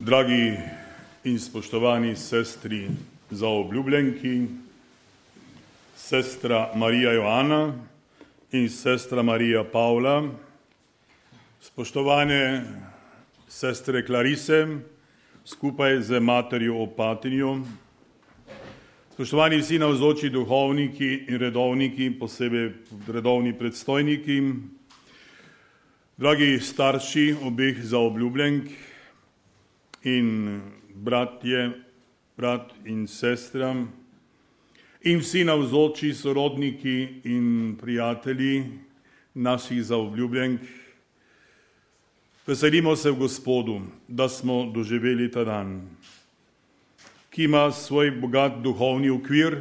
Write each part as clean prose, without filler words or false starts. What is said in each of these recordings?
Dragi in spoštovani sestri zaobljubljenki, sestra Marija Joana in sestra Marija Pavla, spoštovane sestre Klarise, skupaj z materjo Opatinjo, spoštovani vsi navzoči duhovniki in redovniki, posebej redovni predstojniki, dragi starši obeh zaobljubljenk in brat in sestra in vsi navzoči sorodniki in prijatelji naših zaobljubljenk. Veselimo se v Gospodu, da smo doživeli ta dan, ki ima svoj bogat duhovni okvir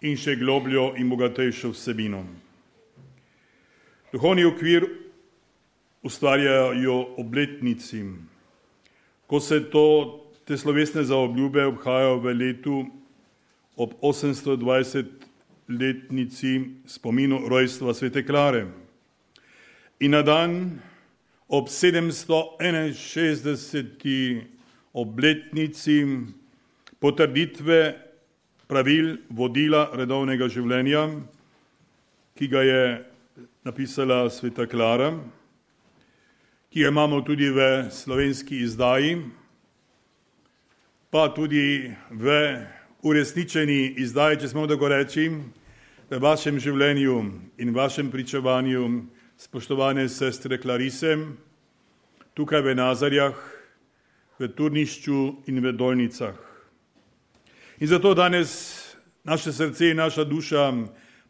in še globljo in bogatejšo vsebino. Duhovni okvir ustvarjajo obletnici, ko se te slovesne zaobljube obhajajo v letu ob 820-letnici spominu rojstva svete Klare in na dan ob 761. obletnici potrditve pravil vodila redovnega življenja, ki ga je napisala sveta Klara, ki jo imamo tudi v slovenski izdaji, pa tudi v uresničeni izdaji, če smemo tako reči, v vašem življenju in vašem pričevanju, spoštovane sestre Klarise, tukaj v Nazarjah, v Turnišču in v Dolnicah. In zato danes naše srce in naša duša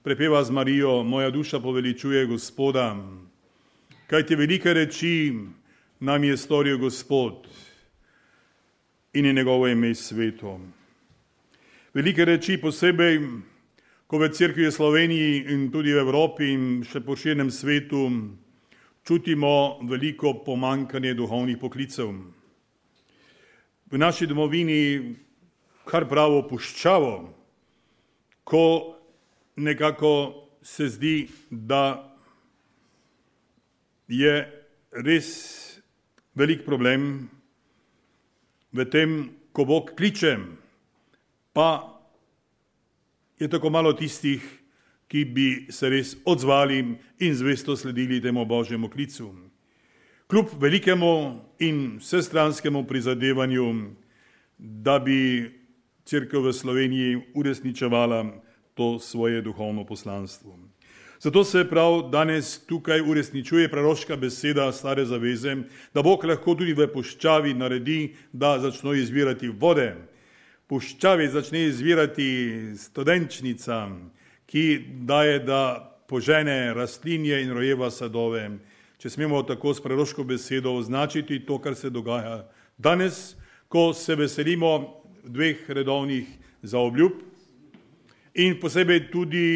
prepeva z Marijo, moja duša poveličuje Gospoda, kajti velike reči nam je storil Gospod in je njegovo ime sveto. Velike reči posebej, ko v Cerkvi v Sloveniji in tudi v Evropi in še po širnem svetu čutimo veliko pomanjkanje duhovnih poklicev. V naši domovini kar pravo puščavo, ko nekako se zdi, da je res velik problem v tem, ko Bog kliče, pa je tako malo tistih, ki bi se res odzvali in zvesto sledili temu Božjemu klicu. Kljub velikemu in vsestranskemu prizadevanju, da bi Cerkev v Sloveniji uresničevala to svoje duhovno poslanstvo. Zato se prav danes tukaj uresničuje proroška beseda Stare zaveze, da Bog lahko tudi v puščavi naredi, da začno izvirati vode. Puščavi začne izvirati studenčnica, ki daje, da požene rastlinje in rojeva sadove. Če smemo tako s proroško besedo označiti to, kar se dogaja danes, ko se veselimo dveh redovnih zaobljub in posebej tudi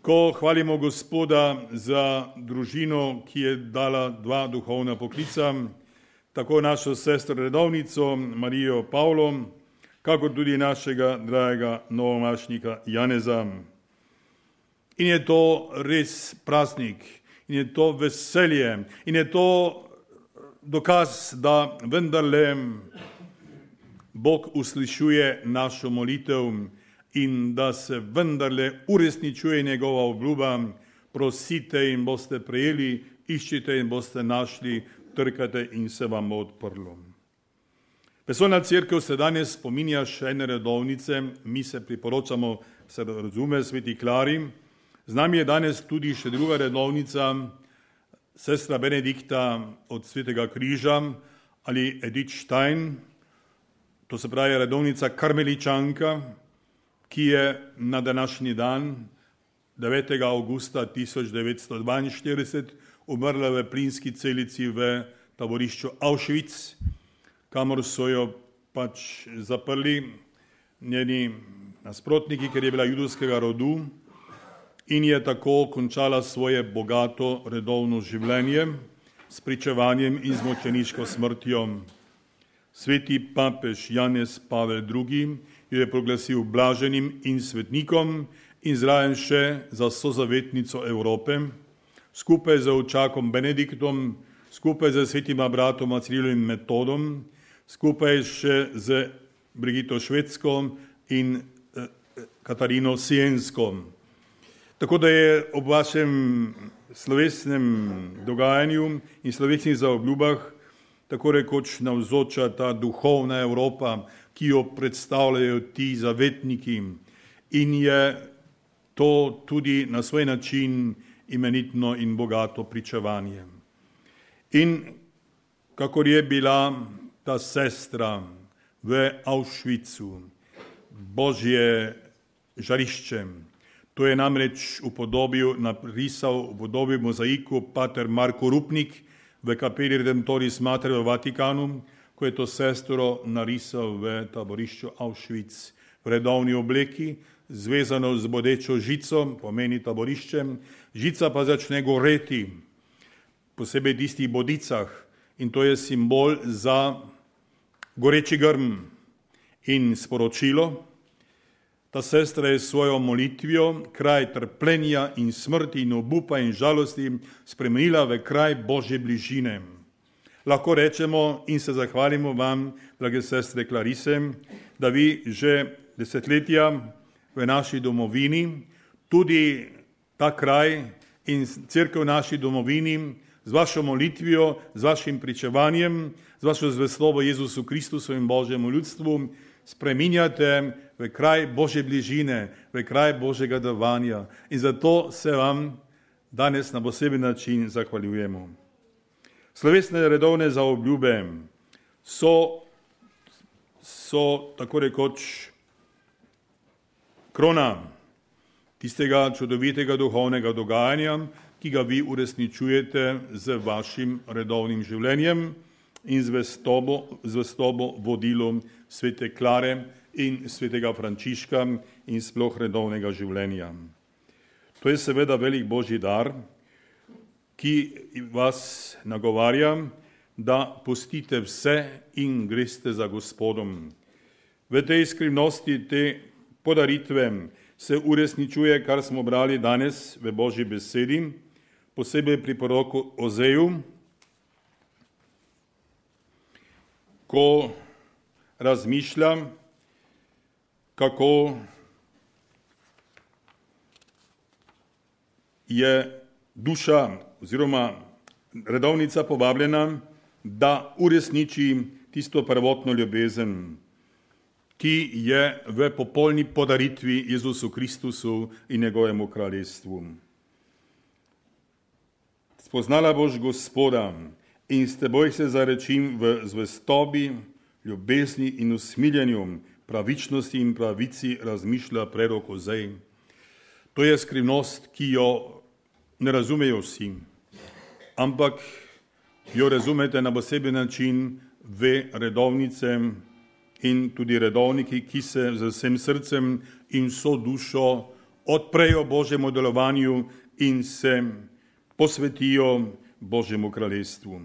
ko hvalimo Gospoda za družino, ki je dala dva duhovna poklica, tako našo sestro redovnico Marijo Pavlo, kakor tudi našega dragega novomašnika Janeza. In je to res praznik, in je to veselje, in je to dokaz, da vendarle Bog uslišuje našo molitev in da se vendarle uresničuje njegova obljuba, prosite in boste prejeli, iščite in boste našli, trkate in se vam bo odprlo. Vesoljna cerkev se danes spominja še ene redovnice, mi se priporočamo, se razume, sveti Klari. Z nami je danes tudi še druga redovnica, sestra Benedikta od Svetega križa ali Edith Stein, to se pravi redovnica Karmeličanka, ki je na današnji dan, 9. augusta 1942, umrla v plinski celici v taborišču Auschwitz, kamor so jo pač zaprli njeni nasprotniki, ker je bila judovskega rodu in je tako končala svoje bogato redovno življenje s pričevanjem in z mučeniško smrtjo. Sveti papež Janez Pavel II. Jo je proglasil blaženim in svetnikom in zraven še za sozavetnico Evrope, skupaj z očakom Benediktom skupaj z svetima bratoma Cirilom in Metodom, skupaj še z Brigito Švedsko in Katarino Siensko. Tako da je ob vašem slovesnem dogajanju in slovesnih zaobljubah tako rekoč navzoča ta duhovna Evropa, ki jo predstavljajo ti zavetniki, in je to tudi na svoj način imenitno in bogato pričevanje. In kakor je bila ta sestra v Auschwitzu, Božje žarišče, to je namreč narisal v podobi mozaiku pater Marko Rupnik v kapeli Redemptoris Mater v Vatikanu, ko je to sestro narisal v taborišču Auschwitz v redovni obleki, zvezano z bodečo žico, pomeni taboriščem, žica pa začne goreti, posebej v tistih bodicah, in to je simbol za goreči grm in sporočilo. Ta sestra je svojo molitvijo kraj trpljenja in smrti in obupa in žalosti spremenila v kraj Božje bližine. Lahko rečemo in se zahvalimo vam, drage sestre Klarise, da vi že desetletja v naši domovini, tudi ta kraj in cerkev v naši domovini, z vašo molitvijo, z vašim pričevanjem, z vašo zvestobo Jezusu Kristusu in Božjemu ljudstvu spreminjate v kraj Božje bližine, v kraj Božjega davanja. In zato se vam danes na poseben način zahvaljujemo. Slovesne redovne zaobljube so tako rekoč krona tistega čudovitega duhovnega dogajanja, ki ga vi uresničujete z vašim redovnim življenjem in zvestobo vodilom svete Klare in svetega Frančiška in sploh redovnega življenja. To je seveda velik Božji dar, ki vas nagovarja, da pustite vse in greste za Gospodom. V tej skrivnosti te podaritve se uresničuje, kar smo brali danes v Božji besedi, posebej pri proroku Ozeju, ko razmišlja, kako je duša oziroma redovnica povabljena, da uresniči tisto prvotno ljubezen, ki je v popolni podaritvi Jezusu Kristusu in njegovemu kraljestvu. Spoznala boš Gospoda in s teboj se zarečim v zvestobi, ljubezni in usmiljenju, pravičnosti in pravici, razmišlja prerok Ozej. To je skrivnost, ki jo ne razumejo vsi, ampak jo razumete na poseben način ve redovnice in tudi redovniki, ki se z vsem srcem in vso dušo odprejo Božjemu delovanju in se posvetijo Božjemu kraljestvu.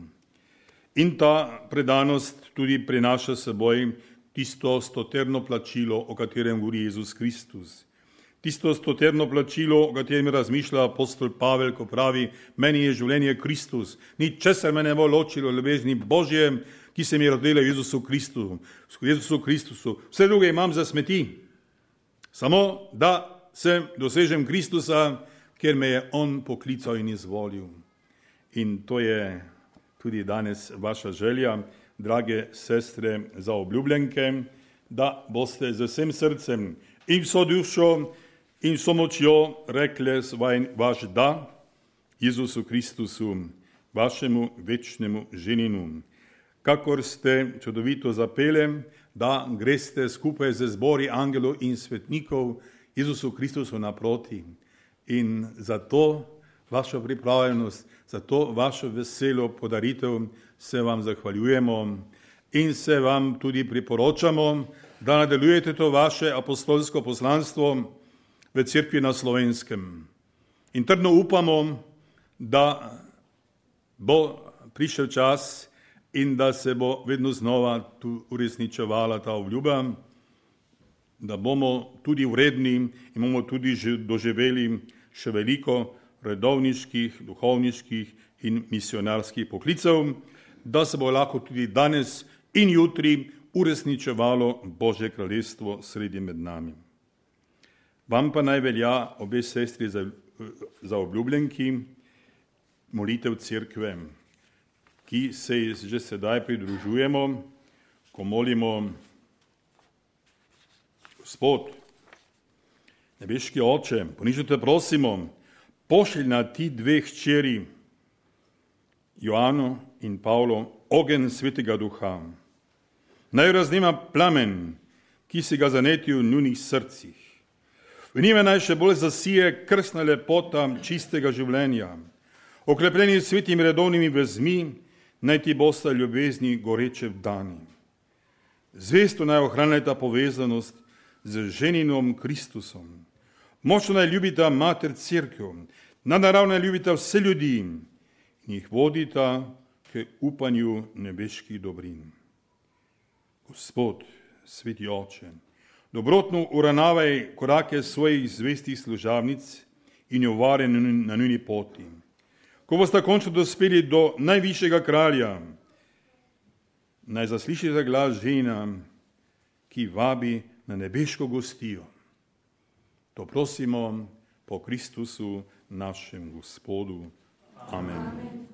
In ta predanost tudi prinaša seboj tisto stoterno plačilo, o katerem govori Jezus Kristus. Tisto stoterno plačilo, o katerem razmišlja apostol Pavel, ko pravi, meni je življenje Kristus, ničesar me ne bo ločilo ljubezni Božje, ki se mi je rodila v Jezusu Kristusu. Vse druge imam za smeti, samo da se dosežem Kristusa, ker me je On poklical in izvolil. In to je tudi danes vaša želja, drage sestre zaobljubljenke, da boste z vsem srcem in vso dušo in vso močjo rekle vaš da Jezusu Kristusu, vašemu večnemu ženinu. Kakor ste čudovito zapele, da greste skupaj z zbori angelov in svetnikov Jezusu Kristusu naproti. In zato vašo pripravljenost, zato vašo veselo podaritev se vam zahvaljujemo in se vam tudi priporočamo, da nadaljujete to vaše apostolsko poslanstvo v Cerkvi na Slovenskem. In trdno upamo, da bo prišel čas in da se bo vedno znova tu uresničevala ta obljuba, da bomo tudi vredni in bomo tudi doživeli še veliko redovniških, duhovniških in misionarskih poklicev, da se bo lahko tudi danes in jutri uresničevalo Božje kraljestvo sredi med nami. Vam pa naj velja, obe sestri za obljubljenki, molitev cerkve, ki se že sedaj pridružujemo, ko molimo: Gospod, nebeški Oče, ponižno te prosimo, pošlji na ti dve hčeri, Joano in Pavlo, ogenj Svetega Duha. Naj raznima plamen, ki si ga zanetil v njunih srcih. V njime naj še bolj zasije krstna lepota čistega življenja. Oklepljeni s svetimi redovnimi vezmi, naj ti bosta ljubezni goreče vdani. Zvesto naj ohranjata povezanost z ženinom Kristusom. Močno naj ljubita mater cerkev, nadnaravno naj ljubita vse ljudi in jih vodita k upanju nebeških dobrin. Gospod, sveti Oče, dobrotno uravnavaj korake svojih zvestih služabnic in jo vari na njuni poti. Ko boste končno dospeli do najvišjega kralja, naj zaslišite glas žena, ki vabi na nebeško gostijo. To prosimo po Kristusu, našem Gospodu. Amen.